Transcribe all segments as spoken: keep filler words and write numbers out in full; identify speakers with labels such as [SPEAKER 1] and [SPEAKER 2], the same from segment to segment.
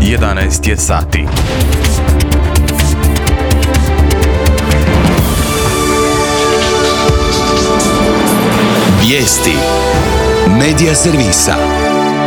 [SPEAKER 1] jedanaest je sati.
[SPEAKER 2] Vijesti Medija servisa.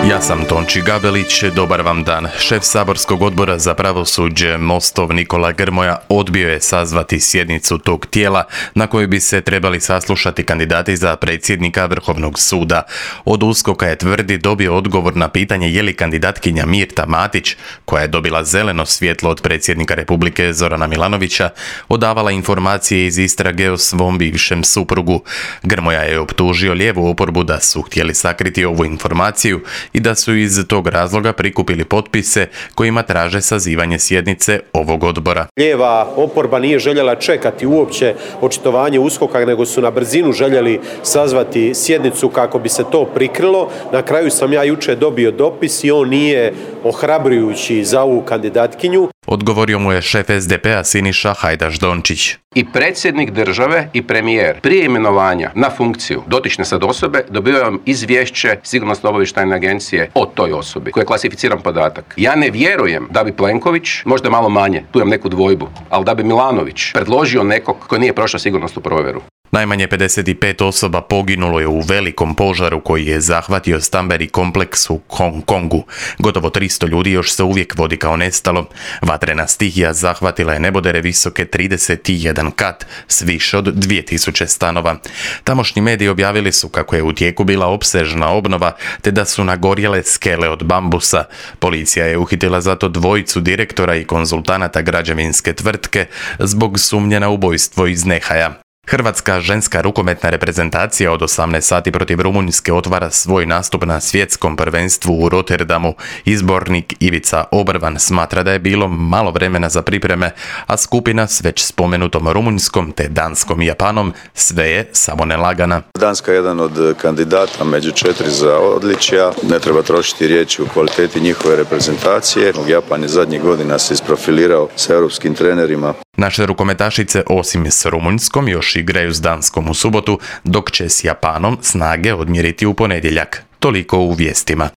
[SPEAKER 1] Ja sam Tonči Gabelić, dobar vam dan. Šef saborskog odbora za pravosuđe Mostov Nikola Grmoja odbio je sazvati sjednicu tog tijela na kojoj bi se trebali saslušati kandidati za predsjednika Vrhovnog suda. Od USKOK-a je tvrdi dobio odgovor na pitanje je li kandidatkinja Mirta Matić, koja je dobila zeleno svjetlo od predsjednika Republike Zorana Milanovića, odavala informacije iz istrage o svom bivšem suprugu. Grmoja je optužio lijevu oporbu da su htjeli sakriti ovu informaciju i da su iz tog razloga prikupili potpise kojima traže sazivanje sjednice ovog odbora.
[SPEAKER 3] Lijeva oporba nije željela čekati uopće očitovanje USKOK-a, nego su na brzinu željeli sazvati sjednicu kako bi se to prikrilo. Na kraju sam ja jučer dobio dopis i on nije ohrabrujući za ovu kandidatkinju.
[SPEAKER 1] Odgovorio mu je šef es de pe a Siniša Hajdaš Dončić.
[SPEAKER 4] I predsjednik države i premijer prije imenovanja na funkciju dotične sad osobe dobivaju izvješće Sigurnosno-obavještajne agencije o toj osobi, koji je klasificiran podatak. Ja ne vjerujem da bi Plenković, možda malo manje, tu imam neku dvojbu, ali da bi Milanović predložio nekog koji nije prošao sigurnosnu provjeru.
[SPEAKER 1] Najmanje pedeset pet osoba poginulo je u velikom požaru koji je zahvatio stambeni kompleks u Hong Kongu. Gotovo tristo ljudi još se uvijek vodi kao nestalo. Vatrena stihija zahvatila je nebodere visoke trideset jedan kat s više od dvije tisuće stanova. Tamošnji mediji objavili su kako je u tijeku bila opsežna obnova te da su nagorjele skele od bambusa. Policija je uhitila zato dvojicu direktora i konzultanata građevinske tvrtke zbog sumnje na ubojstvo iz nehaja. Hrvatska ženska rukometna reprezentacija od osamnaest sati protiv Rumunjske otvara svoj nastup na svjetskom prvenstvu u Rotterdamu. Izbornik Ivica Obrvan smatra da je bilo malo vremena za pripreme, a skupina s već spomenutom Rumunjskom te Danskom i Japanom sve je samo nelagana.
[SPEAKER 5] Danska je jedan od kandidata među četiri za odličja. Ne treba trošiti riječi u kvaliteti njihove reprezentacije. Japan je zadnjih godina se isprofilirao sa europskim trenerima.
[SPEAKER 1] Naše rukometašice osim s Rumunjskom još igraju s Danskom u subotu, dok će s Japanom snage odmjeriti u ponedjeljak. Toliko u vijestima.